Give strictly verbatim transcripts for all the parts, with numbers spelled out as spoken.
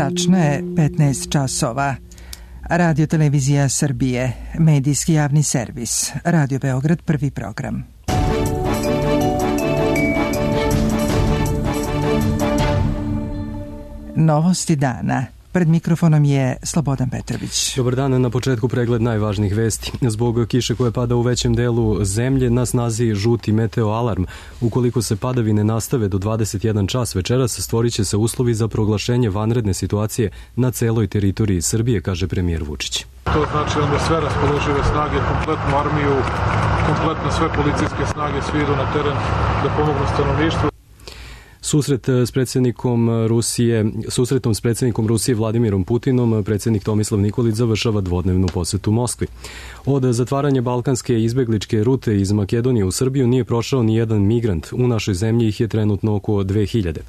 Tačno je petnaest časova. Radio Televizija Srbije, medijski javni servis, Radio Beograd, prvi program. Novosti dana. Pred mikrofonom je Slobodan Petrović. Dobar dan, na početku pregled najvažnijih vesti. Zbog kiše koje pada u većem delu zemlje na snazi žuti meteo alarm. Ukoliko se padavine nastave do dvadeset jedan čas večeras, stvorit će se uslovi za proglašenje vanredne situacije na celoj teritoriji Srbije, kaže premijer Vučić. To znači onda sve raspoložive snage, kompletnu armiju, kompletno sve policijske snage, svi idu na teren da pomognu stanovništvu. Susret s predsjednikom Rusije, susretom s predsjednikom Rusije Vladimirom Putinom, predsjednik Tomislav Nikolić završava dvodnevnu posetu Moskvi. Od zatvaranja balkanske izbegličke rute iz Makedonije u Srbiju nije prošao ni jedan migrant. U našoj zemlji ih je trenutno oko dve hiljade.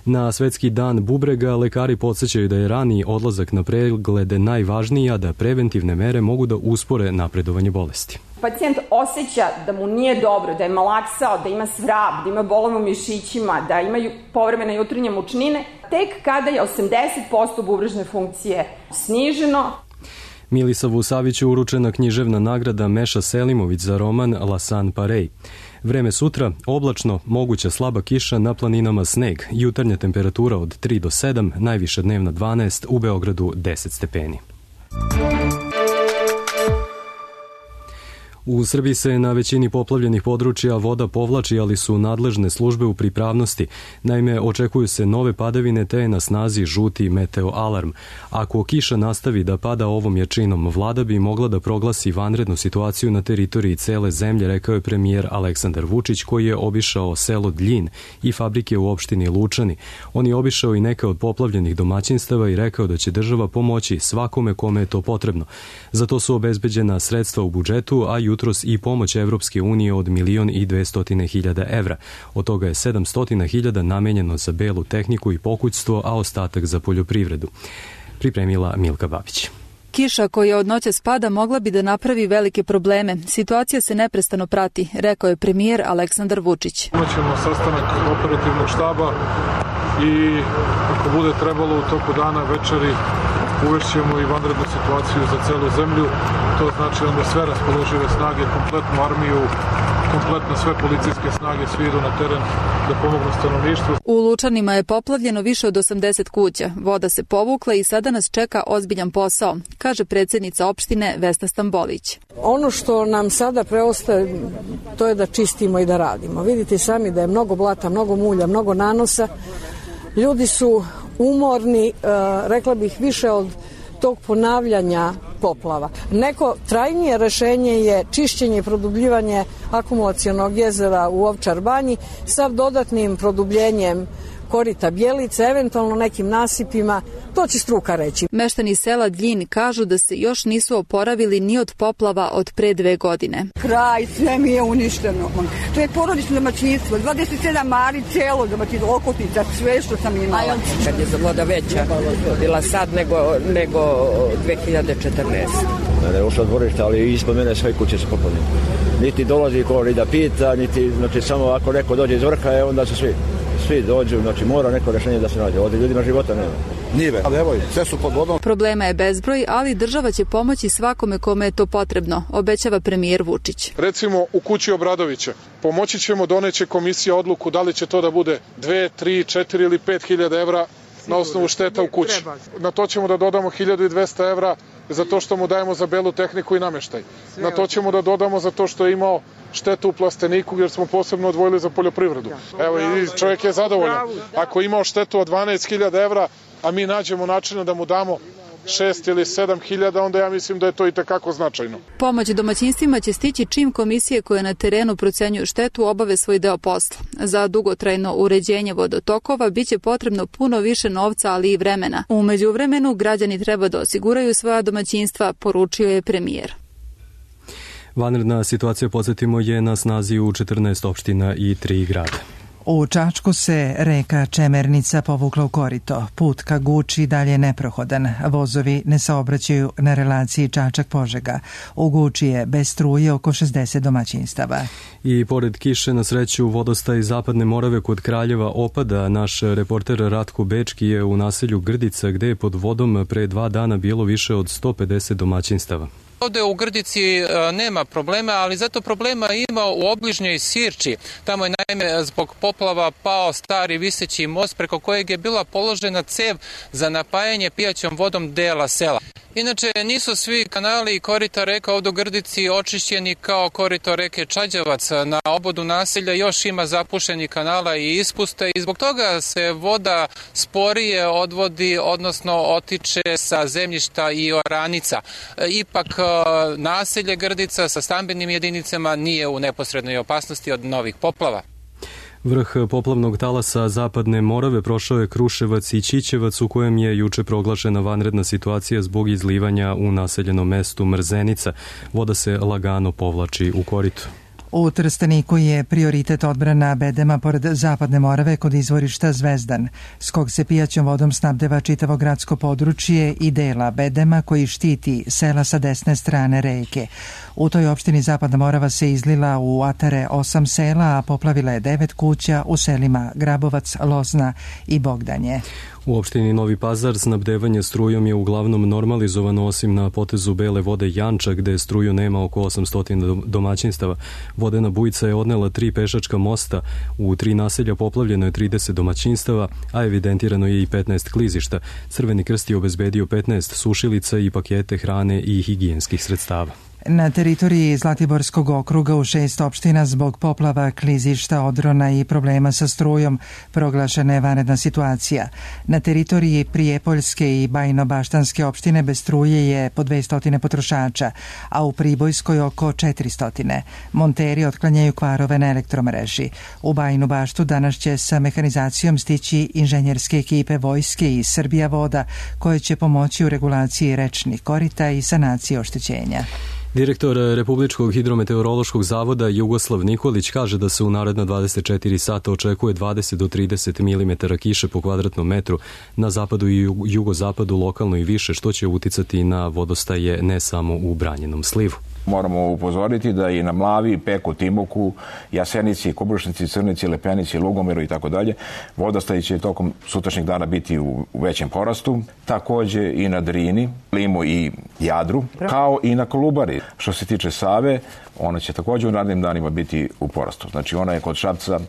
Na svetski dan bubrega lekari podsjećaju da je raniji odlazak na preglede najvažniji, a da preventivne mere mogu da uspore napredovanje bolesti. Pacijent osjeća da mu nije dobro, da je malaksao, da ima svrab, da ima bolove u mišićima, da ima povremene jutarnje mučnine, tek kada je osamdeset posto bubrežne funkcije sniženo. Milisavu Saviću uručena književna nagrada Meša Selimović za roman Lasan Parej. Vreme sutra, oblačno, moguća slaba kiša, na planinama sneg, jutarnja temperatura od tri do sedam, najviša dnevna dvanaest, u Beogradu deset stepeni. U Srbiji se na većini poplavljenih područja voda povlači, ali su nadležne službe u pripravnosti. Naime, očekuju se nove padavine te je na snazi žuti meteo alarm. Ako kiša nastavi da pada ovom jačinom, vlada bi mogla da proglasi vanrednu situaciju na teritoriji cele zemlje, rekao je premijer Aleksandar Vučić, koji je obišao selo Dljin i fabrike u opštini Lučani. On je obišao i neka od poplavljenih domaćinstava i rekao da će država pomoći svakome kome je to potrebno. Za to su obezbeđena sredstva u budžetu, a jutros i pomoć Evropske unije od milion i dvestotine hiljada evra. Od toga je sedamstotine hiljada namenjeno za belu tehniku i pokućstvo, a ostatak za poljoprivredu. Pripremila Milka Babić. Kiša koja od noća spada mogla bi da napravi velike probleme. Situacija se neprestano prati, rekao je premijer Aleksandar Vučić. Imaćemo sastanak operativnog štaba i ako bude trebalo u toku dana večeri uvešćemo i vanrednu situaciju za celu zemlju. To znači onda sve raspoložive snage, kompletnu armiju, kompletno sve policijske snage, svi idu na teren da pomognu stanovništvu. U Lučanima je poplavljeno više od osamdeset kuća. Voda se povukla i sada nas čeka ozbiljan posao, kaže predsjednica opštine Vesna Stambolić. Ono što nam sada preostaje, to je da čistimo i da radimo. Vidite sami da je mnogo blata, mnogo mulja, mnogo nanosa. Ljudi su umorni, rekla bih više od tog ponavljanja poplava. Neko trajnije rešenje je čišćenje i produbljivanje akumulacionog jezera u Ovčar banji sa dodatnim produbljenjem korita Bjelice, eventualno nekim nasipima, to će struka reći. Meštani sela Dljin kažu da se još nisu oporavili ni od poplava od pre dve godine. Kraj, sve mi je uništeno. To je porodično domaćinstvo, dvadeset sedam mari, celo domaćinstvo, okutnica, sve što sam imala. Kad je voda veća bila sad nego, nego dve hiljade četrnaeste. Ne je ušla dvorišta, ali ispod mene sve kuće su poplavljene. Niti dolazi ko ni da pita, niti, znači samo ako neko dođe iz vrha, je, onda su svi. Svi dođu, znači mora neko rešenje da se nađe. Ovdje ljudima života nema. Nive, ali evo, sve su pod vodom. Problema je bezbroj, ali država će pomoći svakome kome je to potrebno, obećava premijer Vučić. Recimo u kući Obradovića pomoći ćemo, doneće komisija odluku da li će to da bude dve, tri, četiri ili pet hiljada evra na osnovu šteta u kući. Na to ćemo da dodamo hiljadu dvesta evra za to što mu dajemo za belu tehniku i nameštaj. Na to ćemo da dodamo za to što je imao štetu u plasteniku jer smo posebno odvojili za poljoprivredu. Evo i čovjek je zadovoljan. Ako je imao štetu od dvanaest hiljada evra, a mi nađemo načina da mu damo šest ili sedam hiljada, onda ja mislim da je to i tekako značajno. Pomoć domaćinstvima će stići čim komisije koje na terenu procenjuju štetu obave svoj deo posla. Za dugotrajno uređenje vodotokova biće potrebno puno više novca, ali i vremena. U međuvremenu građani treba da osiguraju svoja domaćinstva, poručio je premijer. Vanredna situacija, podsjetimo, je na snazi u četrnaest opština i tri grada. U Čačku se reka Čemernica povukla u korito. Put ka Guči dalje je neprohodan. Vozovi ne saobraćaju na relaciji Čačak-Požega. U Guči je bez struje oko šezdeset domaćinstava. I pored kiše, na sreću, vodostaj Zapadne Morave kod Kraljeva opada. Naš reporter Ratko Bečki je u naselju Grdica, gde je pod vodom pre dva dana bilo više od sto pedeset domaćinstava. Ovde u Grdici nema problema, ali zato problema ima u obližnjoj Sirči. Tamo je naime zbog poplava pao stari viseći most preko kojeg je bila položena cev za napajanje pijaćom vodom dela sela. Inače, nisu svi kanali i korita reka ovdje u Grdici očišćeni kao korito reke Čađavac. Na obodu naselja još ima zapušenih kanala i ispuste i zbog toga se voda sporije odvodi, odnosno otiče sa zemljišta i oranica. Ipak naselje Grdica sa stambenim jedinicama nije u neposrednoj opasnosti od novih poplava. Vrh poplavnog talasa Zapadne Morave prošao je Kruševac i Ćićevac, u kojem je juče proglašena vanredna situacija zbog izlivanja u naseljenom mestu Mrzenica. Voda se lagano povlači u koritu. U Trsteniku je prioritet odbrana bedema pored Zapadne Morave kod izvorišta Zvezdan, s kog se pijaćom vodom snabdeva čitavo gradsko područje i dela bedema koji štiti sela sa desne strane reke. U toj opštini Zapadna Morava se izlila u atare osam sela, a poplavila je devet kuća u selima Grabovac, Lozna i Bogdanje. U opštini Novi Pazar snabdevanje strujom je uglavnom normalizovano, osim na potezu Bele vode Janča, gde struju nema oko osamsto domaćinstava. Vodena bujica je odnela tri pešačka mosta, u tri naselja poplavljeno je trideset domaćinstava, a evidentirano je i petnaest klizišta. Crveni krst je obezbedio petnaest sušilica i pakete hrane i higijenskih sredstava. Na teritoriji Zlatiborskog okruga u šest opština zbog poplava, klizišta, odrona i problema sa strujom proglašena je vanredna situacija. Na teritoriji Prijepoljske i Bajno-Baštanske opštine bez struje je po dvesta potrošača, a u Pribojskoj oko četiristo. Monteri otklanjaju kvarove na elektromreži. U Bajnu Baštu danas će sa mehanizacijom stići inženjerske ekipe vojske i Srbija voda, koje će pomoći u regulaciji rečnih korita i sanaciji oštećenja. Direktor Republičkog hidrometeorološkog zavoda Jugoslav Nikolić kaže da se u naredna dvadeset četiri sata očekuje dvadeset do trideset milimetara kiše po kvadratnom metru, na zapadu i jugozapadu lokalno i više, što će uticati na vodostaje ne samo u Branjenom slivu. Moramo upozoriti da i na Mlavi, Peku, Timoku, Jasenici, Kubršnici, Crnici, Lepenici, Lugomeru i tako dalje, vodostaji će tokom sutrašnjeg dana biti u većem porastu. Takođe i na Drini, Limu i Jadru, kao i na Kolubari. Što se tiče Save, ona će takođe u narednim danima biti u porastu. Znači ona je kod Šapca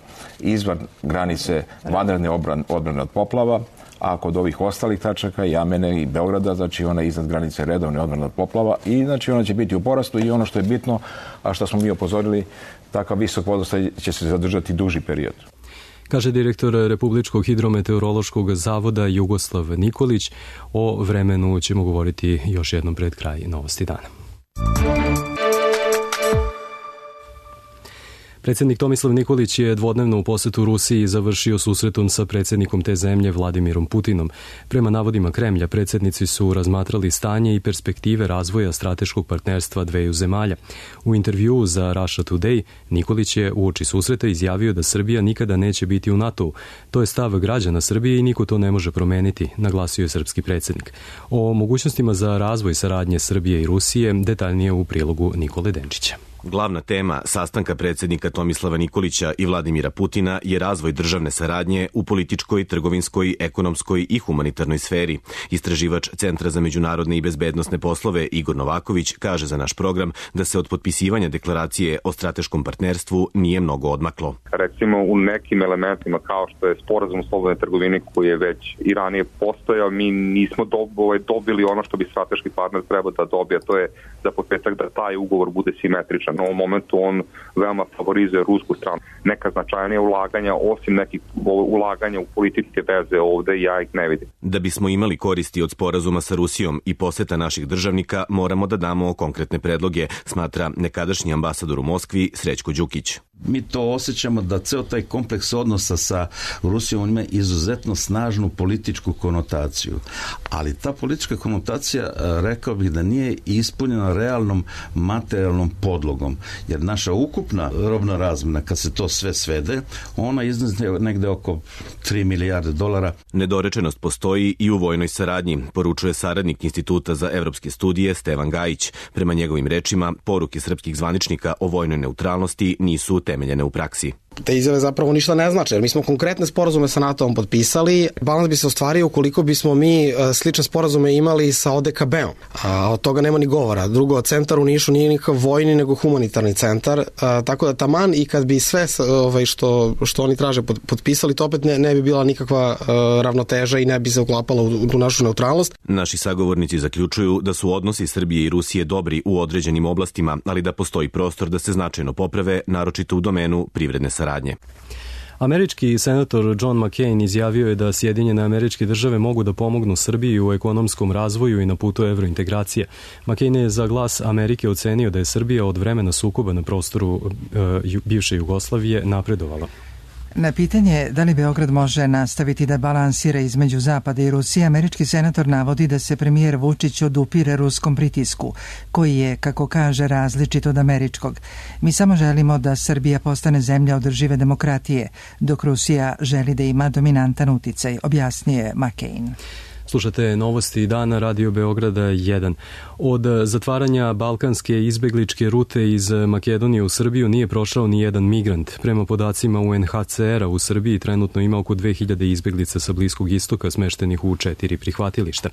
izvan granice vanredne odbrane od poplava, a kod ovih ostalih tačaka, Jamene i Beograda, znači ona je iznad granice redovne odbrane od poplava i znači ona će biti u porastu i ono što je bitno, a što smo mi upozorili, takav visok vodostaj će se zadržati duži period. Kaže direktor Republičkog hidrometeorološkog zavoda Jugoslav Nikolić. O vremenu ćemo govoriti još jednom pred kraj Novosti dana. Predsjednik Tomislav Nikolić je dvodnevno u posetu Rusiji završio susretom sa predsjednikom te zemlje Vladimirom Putinom. Prema navodima Kremlja, predsjednici su razmatrali stanje i perspektive razvoja strateškog partnerstva dveju zemalja. U intervjuu za Russia Today, Nikolić je uoči susreta izjavio da Srbija nikada neće biti u NATO-u. To je stav građana Srbije i niko to ne može promeniti, naglasio je srpski predsjednik. O mogućnostima za razvoj saradnje Srbije i Rusije detaljnije u prilogu Nikole Denčića. Glavna tema sastanka predsjednika Tomislava Nikolića i Vladimira Putina je razvoj državne saradnje u političkoj, trgovinskoj, ekonomskoj i humanitarnoj sferi. Istraživač Centra za međunarodne i bezbednosne poslove Igor Novaković kaže za naš program da se od potpisivanja deklaracije o strateškom partnerstvu nije mnogo odmaklo. Recimo u nekim elementima kao što je sporazum o slobodnoj trgovini koji je već i ranije postojao, mi nismo dobili ono što bi strateški partner trebao da dobije, to je za početak da taj ugovor bude simetričan. U ovom momentu on veoma favorizuje rusku stranu. Neka značajnija ulaganja, osim nekih ulaganja u političke veze ovde, ja ih ne vidim. Da bismo imali koristi od sporazuma sa Rusijom i poseta naših državnika, moramo da damo konkretne predloge, smatra nekadašnji ambasador u Moskvi Srećko Đukić. Mi to osjećamo da ceo taj kompleks odnosa sa Rusijom ima izuzetno snažnu političku konotaciju. Ali ta politička konotacija, rekao bih da nije ispunjena realnom materijalnom podlogom. Jer naša ukupna robna razmena, kad se to sve svede, ona iznosi negde oko tri milijarde dolara. Nedorečenost postoji i u vojnoj saradnji, poručuje saradnik Instituta za evropske studije Stevan Gajić. Prema njegovim rečima, poruke srpskih zvaničnika o vojnoj neutralnosti nisu utemeljene u praksi. Te izjave zapravo ništa ne znače, jer mi smo konkretne sporazume sa NATO-om potpisali. Balans bi se ostvario ukoliko bismo mi slične sporazume imali sa O D K B-om. A od toga nema ni govora. Drugo, centar u Nišu nije nikakav vojni, nego humanitarni centar. A, tako da taman i kad bi sve ovaj, što, što oni traže potpisali, to opet ne, ne bi bila nikakva a, ravnoteža i ne bi se uklapala u, u našu neutralnost. Naši sagovornici zaključuju da su odnosi Srbije i Rusije dobri u određenim oblastima, ali da postoji prostor da se značajno poprave, naročito u domenu privredne saradnje. Američki senator John McCain izjavio je da Sjedinjene Američke Države mogu da pomognu Srbiji u ekonomskom razvoju i na putu evrointegracije. McCain je za Glas Amerike ocenio da je Srbija od vremena sukoba na prostoru e, bivše Jugoslavije napredovala. Na pitanje da li Beograd može nastaviti da balansira između Zapada i Rusije, američki senator navodi da se premijer Vučić odupire ruskom pritisku, koji je, kako kaže, različit od američkog. Mi samo želimo da Srbija postane zemlja održive demokratije, dok Rusija želi da ima dominantan uticaj, objasnio je McCain. Slušate novosti dana Radio Beograda jedan. Od zatvaranja balkanske izbegličke rute iz Makedonije u Srbiju nije prošao ni jedan migrant. Prema podacima U N H C R-a u Srbiji trenutno ima oko dve hiljade izbeglica sa Bliskog istoka smeštenih u četiri prihvatilišta.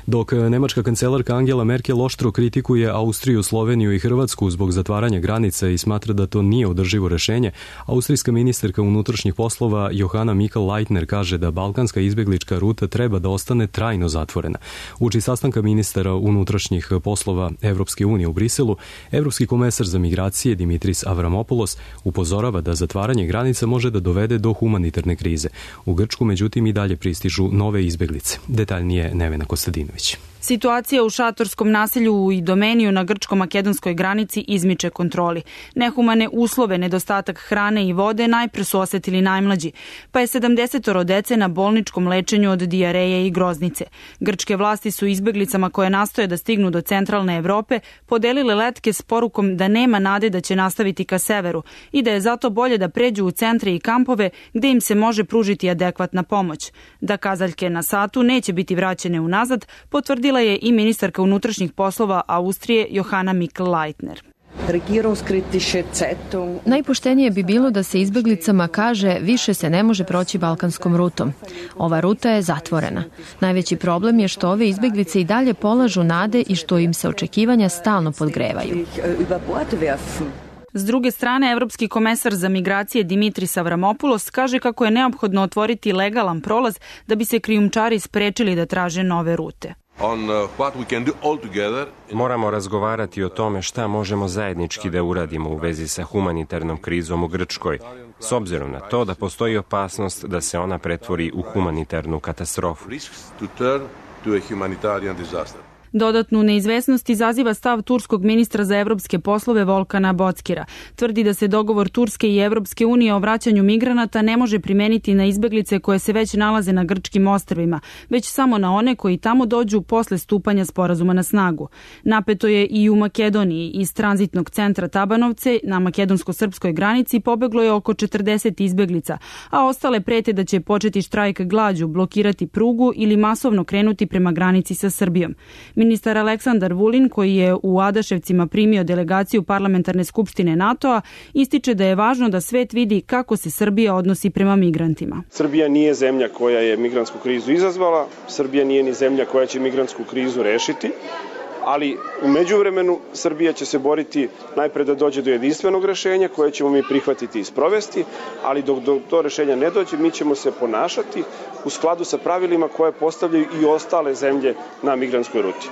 Dok nemačka kancelarka Angela Merkel oštro kritikuje Austriju, Sloveniju i Hrvatsku zbog zatvaranja granica i smatra da to nije održivo rešenje, austrijska ministarka unutrašnjih poslova Johanna Mikl-Leitner kaže da balkanska izbeglička ruta treba da ostane trajno zatvorena. Uči sastanka ministara unutrašnjih poslova Evropske unije u Briselu, evropski komesar za migracije Dimitris Avramopoulos upozorava da zatvaranje granica može da dovede do humanitarne krize. U Grčku, međutim, i dalje pristižu nove izbeglice. Detaljnije Nevena Kostadinović. Situacija u šatorskom naselju u Idomeniju na grčko-makedonskoj granici izmiče kontroli. Nehumane uslove, nedostatak hrane i vode najpre su osetili najmlađi, pa je sedamdesetoro dece na bolničkom lečenju od dijareje i groznice. Grčke vlasti su izbeglicama koje nastoje da stignu do centralne Evrope podelile letke s porukom da nema nade da će nastaviti ka severu i da je zato bolje da pređu u centre i kampove gde im se može pružiti adekvatna pomoć. Da kazaljke na satu neće biti vraćene unazad, potvrdila je i ministarka unutrašnjih poslova Austrije Johanna Mikl-Leitner. Najpoštenije bi bilo da se izbeglicama kaže više se ne može proći balkanskom rutom. Ova ruta je zatvorena. Najveći problem je što ove izbeglice i dalje polažu nade i što im se očekivanja stalno podgrevaju. S druge strane, evropski komesar za migracije Dimitris Avramopoulos kaže kako je neophodno otvoriti legalan prolaz da bi se krijumčari sprečili da traže nove rute. Moramo razgovarati o tome šta možemo zajednički da uradimo u vezi sa humanitarnom krizom u Grčkoj, s obzirom na to da postoji opasnost da se ona pretvori u humanitarnu katastrofu. Dodatnu neizvesnost izaziva stav turskog ministra za evropske poslove Volkana Bockira. Tvrdi da se dogovor Turske i Evropske unije o vraćanju migranata ne može primeniti na izbeglice koje se već nalaze na grčkim ostrvima, već samo na one koji tamo dođu posle stupanja sporazuma na snagu. Napeto je i u Makedoniji. Iz tranzitnog centra Tabanovce na makedonsko-srpskoj granici pobeglo je oko četrdeset izbeglica, a ostale prete da će početi štrajk glađu, blokirati prugu ili masovno krenuti prema granici sa Srbijom. Ministar Aleksandar Vulin, koji je u Adaševcima primio delegaciju Parlamentarne skupštine NATO-a, ističe da je važno da svet vidi kako se Srbija odnosi prema migrantima. Srbija nije zemlja koja je migrantsku krizu izazvala, Srbija nije ni zemlja koja će migrantsku krizu rešiti, ali u međuvremenu Srbija će se boriti najpre da dođe do jedinstvenog rešenja koje ćemo mi prihvatiti i sprovesti, ali dok do to rešenja ne dođe, mi ćemo se ponašati u skladu sa pravilima koje postavljaju i ostale zemlje na migrantskoj ruti.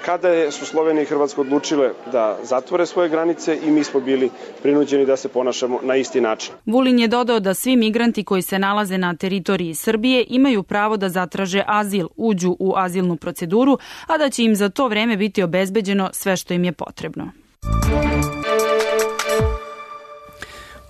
Kada su Slovenija i Hrvatska odlučile da zatvore svoje granice i mi smo bili prinuđeni da se ponašamo na isti način. Vulin je dodao da svi migranti koji se nalaze na teritoriji Srbije imaju pravo da zatraže azil, uđu u azilnu proceduru, a da će im za to vreme biti obezbeđeno sve što im je potrebno.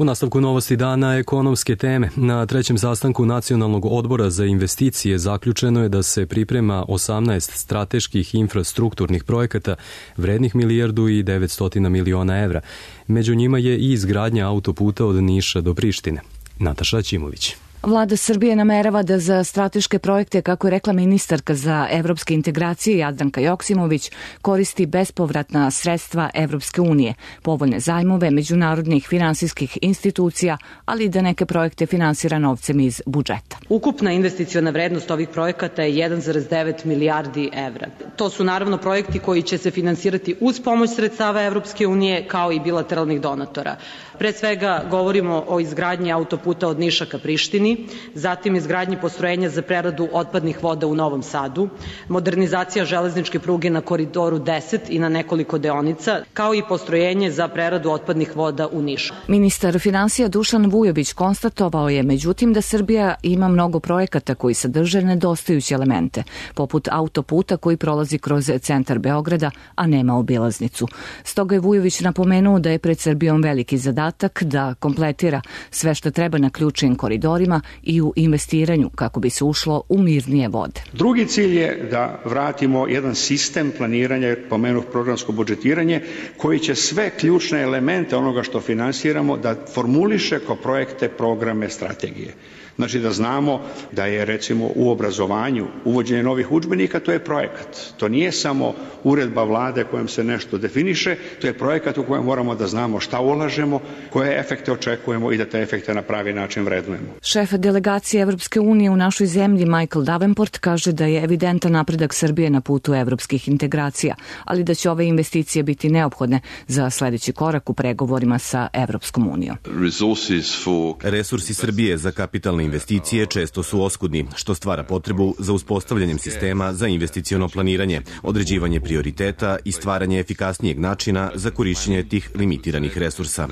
U nastavku novosti dana ekonomske teme. Na trećem sastanku Nacionalnog odbora za investicije zaključeno je da se priprema osamnaest strateških infrastrukturnih projekata vrednih milijardu i devetsto miliona evra. Među njima je i izgradnja autoputa od Niša do Prištine. Nataša Ćimović. Vlada Srbije namerava da za strateške projekte, kako je rekla ministarka za evropske integracije Jadranka Joksimović, koristi bespovratna sredstva Evropske unije, povoljne zajmove međunarodnih finansijskih institucija, ali i da neke projekte finansira novcem iz budžeta. Ukupna investiciona vrednost ovih projekata je jedan zarez devet milijardi evra. To su naravno projekti koji će se finansirati uz pomoć sredstava Evropske unije kao i bilateralnih donatora. Pre svega govorimo o izgradnji autoputa od Niša ka Prištini, zatim izgradnji postrojenja za preradu otpadnih voda u Novom Sadu, modernizacija železničke pruge na Koridoru deset i na nekoliko deonica, kao i postrojenje za preradu otpadnih voda u Nišu. Ministar finansija Dušan Vujović konstatovao je, međutim, da Srbija ima mnogo projekata koji sadrže nedostajuće elemente, poput autoputa koji prolazi kroz centar Beograda, a nema obilaznicu. Stoga je Vujović napomenuo da je pred Srbijom veliki zadatak da kompletira sve što treba na ključnim koridorima i u investiranju kako bi se ušlo u mirnije vode. Drugi cilj je da vratimo jedan sistem planiranja, pomenuh programsko budžetiranje, koji će sve ključne elemente onoga što finansiramo da formuliše kao projekte, programe, strategije. Znači da znamo da je recimo u obrazovanju uvođenje novih udžbenika, to je projekat. To nije samo uredba vlade kojom se nešto definiše, to je projekat u kojem moramo da znamo šta ulažemo, koje efekte očekujemo i da te efekte na pravi način vrednujemo. Šef delegacije Evropske unije u našoj zemlji Michael Davenport kaže da je evidentan napredak Srbije na putu evropskih integracija, ali da će ove investicije biti neophodne za sledeći korak u pregovorima sa Evropskom unijom. Resursi Srbije za kapitalne investicije često su oskudni, što stvara potrebu za uspostavljanjem sistema za investiciono planiranje, određivanje prioriteta i stvaranje efikasnijeg načina za korišćenje tih limitiranih resursa.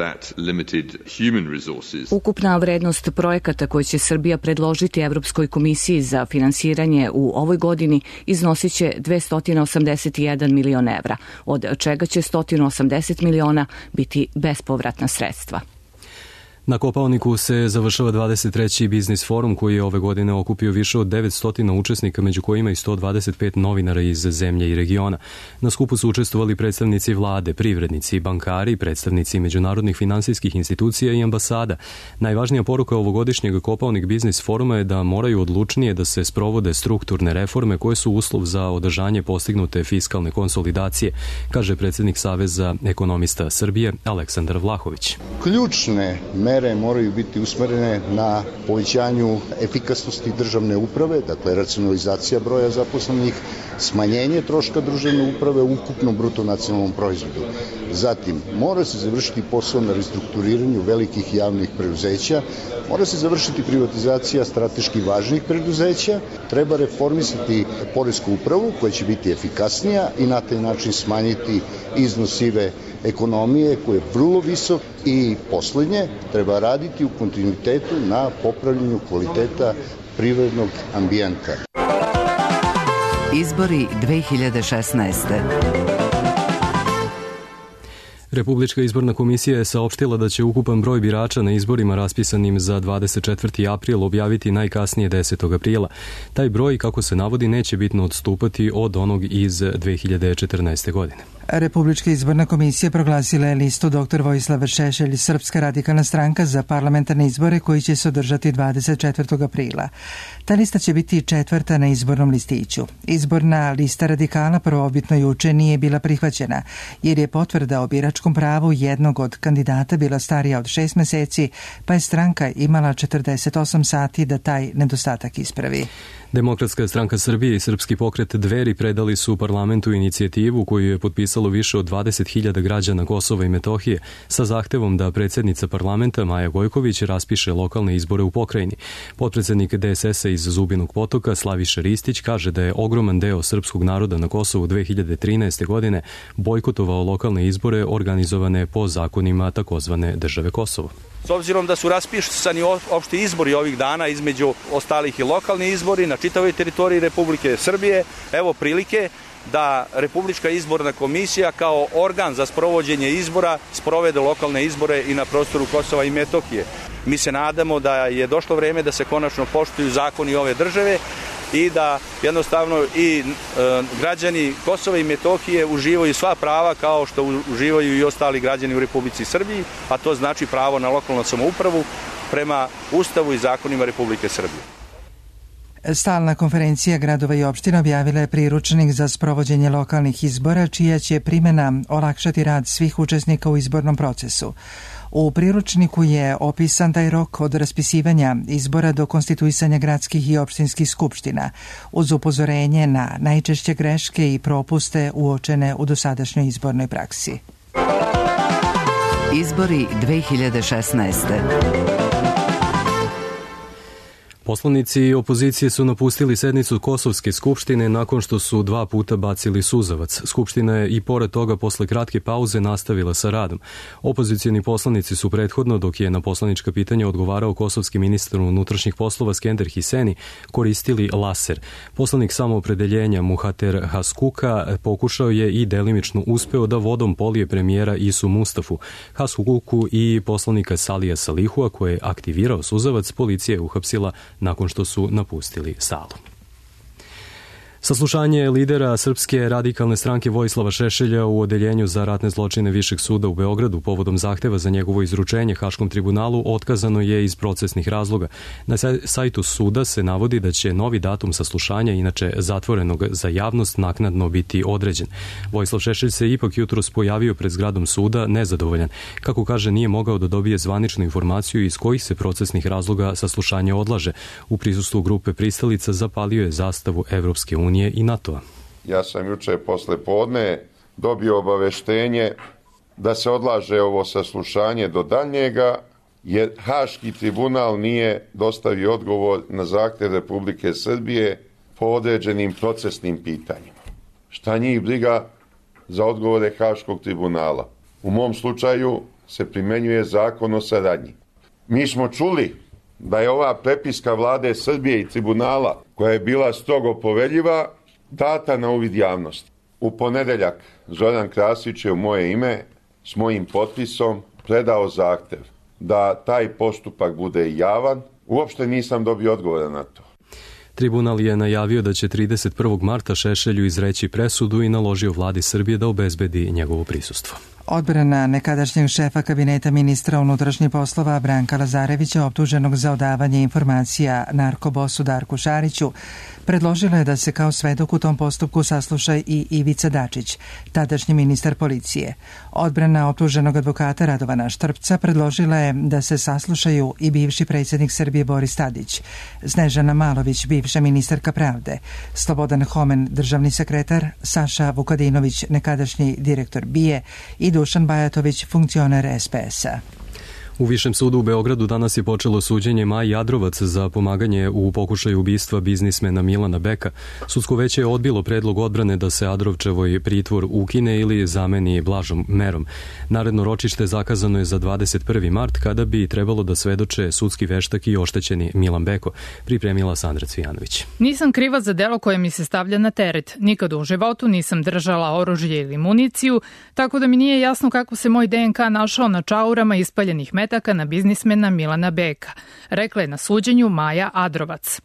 Ukupna vrednost projekata koje će Srbija predložiti Evropskoj komisiji za finansiranje u ovoj godini iznosit će dvesta osamdeset jedan milion evra, od čega će sto osamdeset miliona biti bespovratna sredstva. Na Kopaoniku se završava dvadeset treći biznis forum koji je ove godine okupio više od devetsto učesnika, među kojima i sto dvadeset pet novinara iz zemlje i regiona. Na skupu su učestvovali predstavnici vlade, privrednici, bankari, predstavnici međunarodnih finansijskih institucija i ambasada. Najvažnija poruka ovogodišnjeg Kopaonik biznis foruma je da moraju odlučnije da se sprovode strukturne reforme koje su uslov za održanje postignute fiskalne konsolidacije, kaže predsjednik Saveza ekonomista Srbije Aleksandar Vlahović. Ključne mere moraju biti usmerene na povećanju efikasnosti državne uprave, dakle racionalizacija broja zaposlenih, smanjenje troška državne uprave u ukupnom bruto nacionalnom proizvodu. Zatim, mora se završiti posao na restrukturiranju velikih javnih preduzeća, mora se završiti privatizacija strateški važnih preduzeća, treba reformisati poresku upravu koja će biti efikasnija i na taj način smanjiti iznos sive ekonomije koji je vrlo visok i poslednje, treba raditi u kontinuitetu na popravljanju kvaliteta privrednog ambijenta. Izbori dve hiljade šesnaeste. Republička izborna komisija je saopštila da će ukupan broj birača na izborima raspisanim za dvadeset četvrti april objaviti najkasnije desetog aprila. Taj broj, kako se navodi, neće bitno odstupati od onog iz dve hiljade četrnaeste. godine. Republička izborna komisija proglasila je listu doktor Vojislav Šešelj, Srpska radikalna stranka, za parlamentarne izbore koji će se održati dvadeset četvrtog aprila. Ta lista će biti četvrta na izbornom listiću. Izborna lista radikala prvobitno juče nije bila prihvaćena, jer je potvrda o biračkom pravu jednog od kandidata bila starija od šest meseci, pa je stranka imala četrdeset osam sati da taj nedostatak ispravi. Demokratska stranka Srbije i Srpski pokret Dveri predali su parlamentu inicijativu koju je potpisalo više od dvadeset hiljada građana Kosova i Metohije sa zahtevom da predsjednica parlamenta Maja Gojković raspiše lokalne izbore u pokrajini. Potpredsednik D S S-a iz Zubinog Potoka Slaviša Ristić kaže da je ogroman deo srpskog naroda na Kosovu dve hiljade trinaeste. godine bojkotovao lokalne izbore organizovane po zakonima takozvane države Kosovo. S obzirom da su raspisani opšti izbori ovih dana, između ostalih i lokalni izbori na čitavoj teritoriji Republike Srbije, evo prilike da Republička izborna komisija kao organ za sprovođenje izbora sprovede lokalne izbore i na prostoru Kosova i Metohije. Mi se nadamo da je došlo vreme da se konačno poštuju zakoni ove države i da jednostavno i e, građani Kosova i Metohije uživaju sva prava kao što uživaju i ostali građani u Republici Srbiji, a to znači pravo na lokalnu samoupravu prema Ustavu i zakonima Republike Srbije. Stalna konferencija gradova i opština objavila je priručnik za sprovođenje lokalnih izbora, čija će primjena olakšati rad svih učesnika u izbornom procesu. U priručniku je opisan taj rok od raspisivanja izbora do konstituisanja gradskih i opštinskih skupština, uz upozorenje na najčešće greške i propuste uočene u dosadašnjoj izbornoj praksi. Izbori dve hiljade šesnaeste. Poslanici opozicije su napustili sednicu Kosovske skupštine nakon što su dva puta bacili suzavac. Skupština je i pored toga posle kratke pauze nastavila sa radom. Opozicijni poslanici su prethodno, dok je na poslanička pitanja odgovarao kosovski ministar unutrašnjih poslova Skender Hiseni, koristili laser. Poslanik samoopredeljenja Muhater Haskuka pokušao je i delimično uspeo da vodom polije premijera Isu Mustafu. Haskuku i poslanika Salija Salihua, koje je aktivirao suzavac, policija je uhapsila nakon što su napustili salu. Saslušanje lidera Srpske radikalne stranke Vojislava Šešelja u odeljenju za ratne zločine Višeg suda u Beogradu povodom zahteva za njegovo izručenje Haškom tribunalu otkazano je iz procesnih razloga. Na sajtu suda se navodi da će novi datum saslušanja, inače zatvorenog za javnost, naknadno biti određen. Vojislav Šešelj se ipak jutros pojavio pred zgradom suda nezadovoljan. Kako kaže, nije mogao da dobije zvaničnu informaciju iz kojih se procesnih razloga saslušanje odlaže. U prisustvu grupe pristalica zapalio je zastavu Evropske unije i NATO-a. Ja sam juče posle podne dobio obaveštenje da se odlaže ovo saslušanje do daljnjega, jer Haški tribunal nije dostavio odgovor na zahtev Republike Srbije po određenim procesnim pitanjima. Šta njih briga za odgovore Haškog tribunala? U mom slučaju se primenjuje zakon o saradnji. Mi smo čuli da je ova prepiska vlade Srbije i tribunala, koja je bila strogo poveljiva, data na uvid javnosti. U ponedeljak Zoran Krasić je u moje ime s mojim potpisom predao zahtev da taj postupak bude javan. Uopšte nisam dobio odgovora na to. Tribunal je najavio da će trideset prvog marta Šešelju izreći presudu i naložio vladi Srbije da obezbedi njegovo prisustvo. Odbrana nekadašnjeg šefa kabineta ministra unutrašnjih poslova Branka Lazarevića, optuženog za odavanje informacija narkobosu Darku Šariću, predložila je da se kao svedok u tom postupku sasluša i Ivica Dačić, tadašnji ministar policije. Odbrana optuženog advokata Radovana Štrpca predložila je da se saslušaju i bivši predsjednik Srbije Boris Tadić, Snežana Malović, bivša ministarka pravde, Slobodan Homen, državni sekretar, Saša Vukadinović, nekadašnji direktor B I A i Dušan Bajatović, funkcioner S P S-a. U Višem sudu u Beogradu danas je počelo suđenje Maji Adrovac za pomaganje u pokušaju ubistva biznismena Milana Beka. Sudsko veće je odbilo predlog odbrane da se Adrovčevoj pritvor ukine ili zameni blažom merom. Naredno ročište zakazano je za dvadeset prvi mart, kada bi trebalo da svedoče sudski veštak i oštećeni Milan Beko, pripremila Sandra Cvijanović. Nisam kriva za delo koje mi se stavlja na teret. Nikad u životu nisam držala oružje ili municiju, tako da mi nije jasno kako se moj D N K našao na čaurama ispaljenih metaka na biznismena Milana Beka, rekla je na suđenju Maja Adrovac.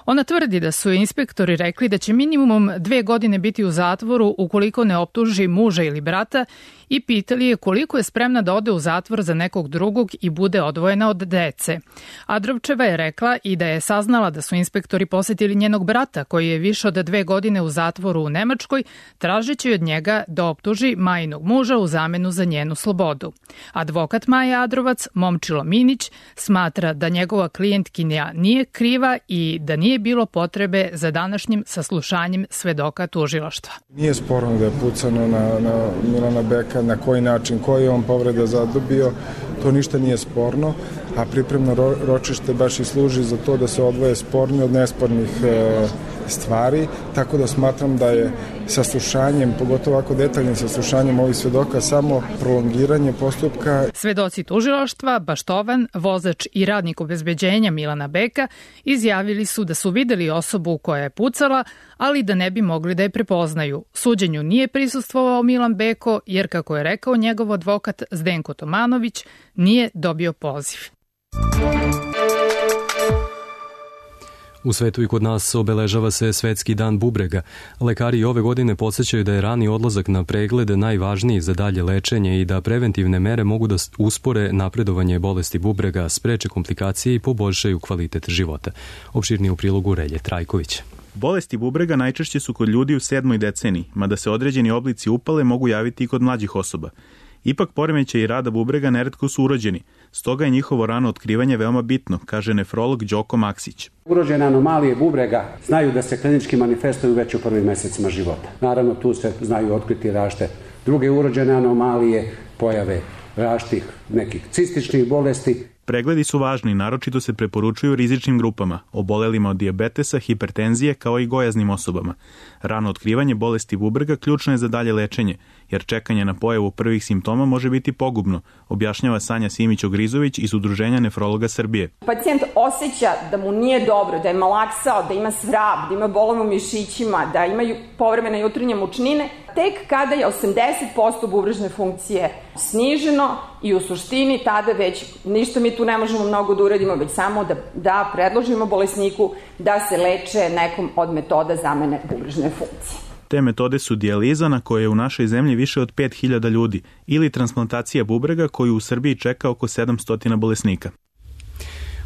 Ona tvrdi da su inspektori rekli da će minimum dve godine biti u zatvoru ukoliko ne optuži muža ili brata i pitali je koliko je spremna da ode u zatvor za nekog drugog i bude odvojena od dece. Adrovčeva je rekla i da je saznala da su inspektori posetili njenog brata, koji je više od dve godine u zatvoru u Nemačkoj, tražeći od njega da optuži Majinog muža u zamenu za njenu slobodu. Advokat Maja Adrovac, Momčilo Minić, smatra da njegova klijentkinja nije kriva i da nije bilo potrebe za današnjim saslušanjem svedoka tužilaštva. Nije sporno da je pucano na, na Milana Beka, na koji način, koji je on povreda zadobio, to ništa nije sporno, a pripremno ro, ročište baš i služi za to da se odvoje sporni od nespornih e, stvari, tako da smatram da je saslušanjem, pogotovo ovako detaljnim saslušanjem ovih svedoka, samo prolongiranje postupka. Svedoci tužilaštva, Baštovan, vozač i radnik obezbeđenja Milana Beka izjavili su da su videli osobu koja je pucala, ali da ne bi mogli da je prepoznaju. Suđenju nije prisustvovao Milan Beko, jer, kako je rekao njegov advokat Zdenko Tomanović, nije dobio poziv. U svetu i kod nas obeležava se Svetski dan bubrega. Lekari ove godine podsećaju da je rani odlazak na preglede najvažniji za dalje lečenje i da preventivne mere mogu da uspore napredovanje bolesti bubrega, spreče komplikacije i poboljšaju kvalitet života. Opširnije u prilogu Relje Trajković. Bolesti bubrega najčešće su kod ljudi u sedmoj deceniji, mada se određeni oblici upale mogu javiti i kod mlađih osoba. Ipak poremećaji rada bubrega neretko su urođeni, stoga je njihovo rano otkrivanje veoma bitno, kaže nefrolog Đoko Maksić. Urođene anomalije bubrega znaju da se klinički manifestuju već u prvim mesecima života. Naravno, tu se znaju otkriti različite druge urođene anomalije, pojave različitih nekih cističnih bolesti. Pregledi su važni, naročito se preporučuju rizičnim grupama, obolelima od dijabetesa, hipertenzije kao i gojaznim osobama. Rano otkrivanje bolesti bubrega ključno je za dalje lečenje, jer čekanje na pojavu prvih simptoma može biti pogubno, objašnjava Sanja Simić-Ogrizović iz Udruženja nefrologa Srbije. Pacijent osjeća da mu nije dobro, da je malaksao, da ima svrab, da ima bolove u mišićima, da ima povremene jutarnje mučnine, tek kada je osamdeset posto bubrežne funkcije sniženo i u suštini tada već ništa mi tu ne možemo mnogo da uradimo, već samo da, da predložimo bolesniku da se leče nekom od metoda zamene bubrežne funkcije. Te metode su dijaliza, na koje je u našoj zemlji više od pet hiljada ljudi, ili transplantacija bubrega, koju u Srbiji čeka oko sedamsto bolesnika.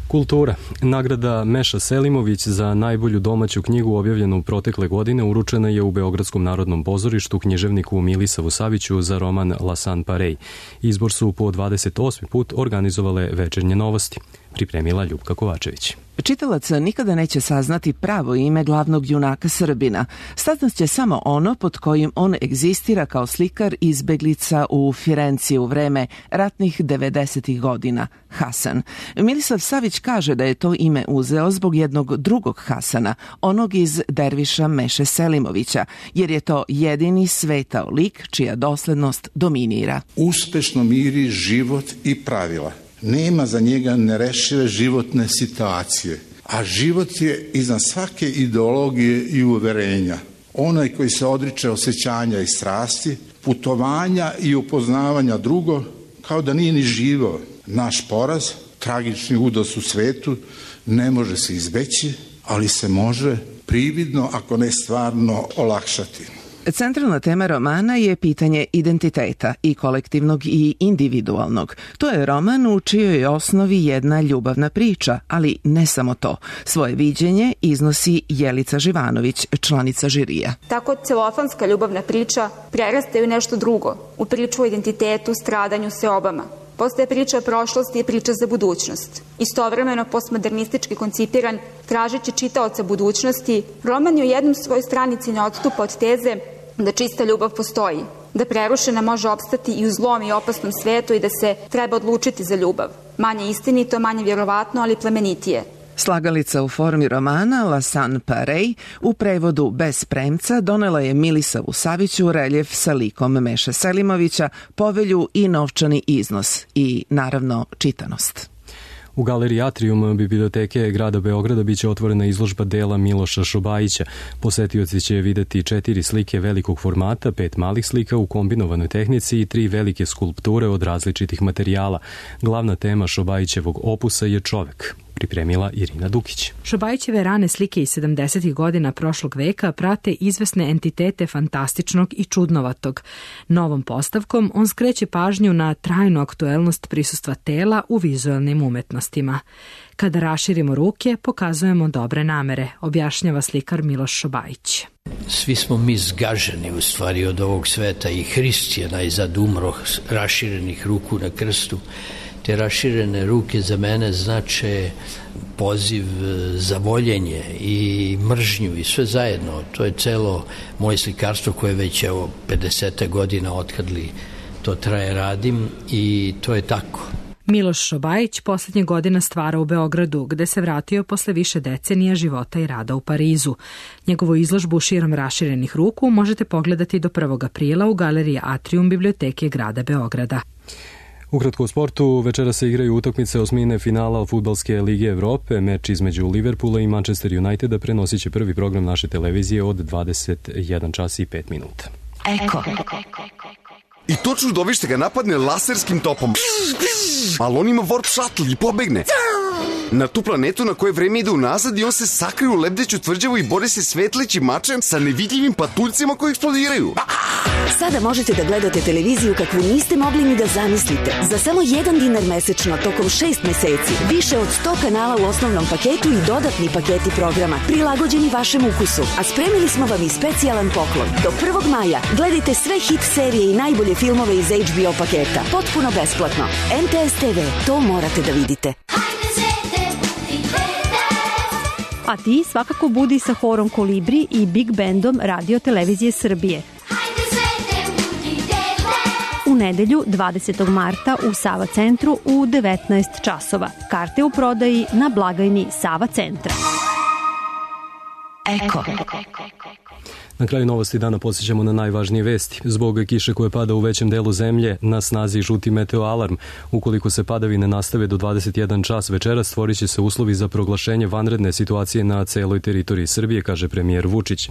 Kultura. Nagrada Meša Selimović za najbolju domaću knjigu objavljenu protekle godine uručena je u Beogradskom narodnom pozorištu književniku Milisavu Saviću za roman Lasan Parej. Izbor su po dvadeset osmi put organizovale Večernje novosti. Pripremila Ljupka Kovačević. Čitalac nikada neće saznati pravo ime glavnog junaka Srbina. Saznaće samo ono pod kojim on egzistira kao slikar izbeglica u Firenci u vreme ratnih devedesetih godina, Hasan. Milisav Savić kaže da je to ime uzeo zbog jednog drugog Hasana, onog iz Derviša Meše Selimovića, jer je to jedini svetao lik čija doslednost dominira. Uspešno miri život i pravila. Nema za njega nerešive životne situacije, a život je iznad svake ideologije i uverenja. Onaj koji se odriče osjećanja i strasti, putovanja i upoznavanja drugo, kao da nije ni živo. Naš poraz, tragični udos u svetu, ne može se izbeći, ali se može prividno, ako ne stvarno, olakšati. Centralna tema romana je pitanje identiteta, i kolektivnog i individualnog. To je roman u čijoj osnovi jedna ljubavna priča, ali ne samo to. Svoje viđenje iznosi Jelica Živanović, članica žirija. Tako celofanska ljubavna priča prerasta u nešto drugo, u priču o identitetu, stradanju, seobama. Postaje priča o prošlosti i priča za budućnost. Istovremeno postmodernistički koncipiran, tražeći čitaoca budućnosti, roman je u jednom svojoj stranici ne odstupa od teze da čista ljubav postoji, da prerušena može opstati i u zlom i opasnom svetu i da se treba odlučiti za ljubav. Manje istinito, manje vjerovatno, ali plemenitije. Slagalica u formi romana Lasan Parej u prevodu Bez premca donela je Milisavu Saviću reljef sa likom Meše Selimovića, povelju i novčani iznos i, naravno, čitanost. U galeriji Atrium biblioteke grada Beograda biće otvorena izložba dela Miloša Šobajića. Posetioci će videti četiri slike velikog formata, pet malih slika u kombinovanoj tehnici i tri velike skulpture od različitih materijala. Glavna tema Šobajićevog opusa je čovek. Pripremila Irina Dukić. Šobajićeve rane slike iz sedamdesetih godina prošlog veka prate izvesne entitete fantastičnog i čudnovatog. Novom postavkom on skreće pažnju na trajnu aktuelnost prisustva tela u vizualnim umetnostima. Kada raširimo ruke, pokazujemo dobre namere, objašnjava slikar Miloš Šobajić. Svi smo mi zgaženi u stvari od ovog sveta i Hrist je najzad umro raširenih ruku na krstu. Te raširene ruke za mene znače poziv za voljenje i mržnju i sve zajedno. To je celo moje slikarstvo koje već evo pedeset godina otkad li to traje radim i to je tako. Miloš Šobajić poslednje godina stvara u Beogradu, gde se vratio posle više decenija života i rada u Parizu. Njegovu izložbu širom raširenih ruku možete pogledati do prvog aprila u galeriji Atrium biblioteke grada Beograda. Ukratko o sportu, večera se igraju utakmice osmine finala Fudbalske lige Evrope. Meč između Liverpoola i Manchester Uniteda prenosit će prvi program naše televizije od dvadeset jedan čas i pet minuta. Eko. I to čudovište ga napadne laserskim topom. Ali on ima warp shuttle i pobegne. Na tu planetu na koje vreme ide unazad i on se sakrije u lebdeću tvrđavu i bori se svetlećim mačem sa nevidljivim patuljcima koji eksplodiraju. Sada možete da gledate televiziju kakvu niste mogli ni da zamislite. Za samo jedan dinar mesečno tokom šest meseci. Više od sto kanala u osnovnom paketu i dodatni paketi programa prilagođeni vašem ukusu. A spremili smo vam i specijalan poklon. Do prvog maja gledajte sve hit serije i najbolje filmove iz H B O paketa. Potpuno besplatno. M T S T V, to morate da vidite. A ti svakako budi sa horom Kolibri i Big Bandom Radio Televizije Srbije. U nedelju dvadesetog marta u Sava centru u devetnaest časova. Karte u prodaji na blagajni Sava centra. Eko. Na kraju novosti dana podsjećamo na najvažnije vesti. Zbog kiše koje pada u većem delu zemlje, na snazi žuti meteo alarm. Ukoliko se padavine nastave do dvadeset jedan čas večera, stvorit će se uslovi za proglašenje vanredne situacije na celoj teritoriji Srbije, kaže premijer Vučić.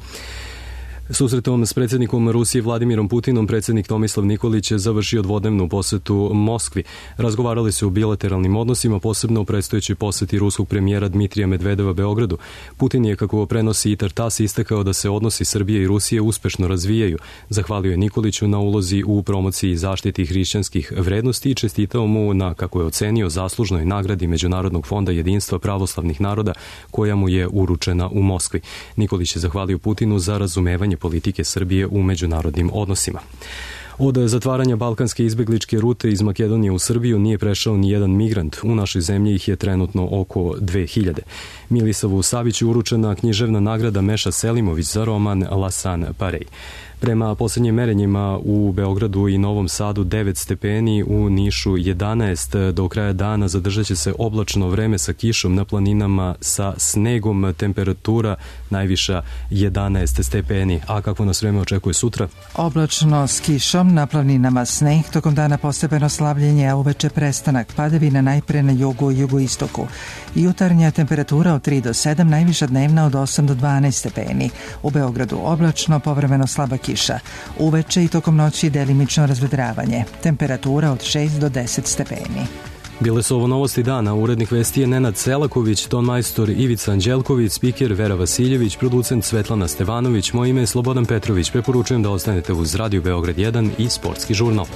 Susretom s predsjednikom Rusije Vladimirom Putinom predsjednik Tomislav Nikolić je završio dvodnevnu posetu Moskvi. Razgovarali su o bilateralnim odnosima, posebno o predstojećoj poseti ruskog premijera Dmitrija Medvedeva Beogradu. Putin je, kako prenosi i Tartas, istakao da se odnosi Srbije i Rusije uspešno razvijaju. Zahvalio je Nikoliću na ulozi u promociji i zaštiti hrišćanskih vrednosti i čestitao mu na, kako je ocenio, zaslužnoj nagradi Međunarodnog fonda jedinstva pravoslavnih naroda koja mu je uručena u Moskvi. Nikolić je zahvalio Putinu za razumevanje politike Srbije u međunarodnim odnosima. Od zatvaranja balkanske izbegličke rute iz Makedonije u Srbiju nije prešao ni jedan migrant. U našoj zemlji ih je trenutno oko dve hiljade. Milisavu Saviću uručena književna nagrada Meša Selimović za roman Lasan Parej. Prema poslednjim merenjima u Beogradu i Novom Sadu devet stepeni, u Nišu jedanaest, do kraja dana zadržat će se oblačno vreme sa kišom, na planinama sa snegom, temperatura najviša jedanaest stepeni. A kako nas vreme očekuje sutra? Oblačno s kišom, na planinama sneg, tokom dana postepeno slavljenje, a uveče prestanak padavina najpre na jugu i jugoistoku. Jutarnja temperatura od tri do sedam, najviša dnevna od osam do dvanaest stepeni. U Beogradu oblačno, povremeno slaba kiša. Uveče i tokom noći delimično razvedravanje. Temperatura od šest do deset stepeni. Bile su ovo novosti dana. Urednik vesti je Nenad Selaković, ton majstor Ivica Anđelković, spiker Vera Vasiljević, producent Svetlana Stevanović, moje ime je Slobodan Petrović. Preporučujem da ostanete uz Radio Beograd jedan i Sportski žurnal.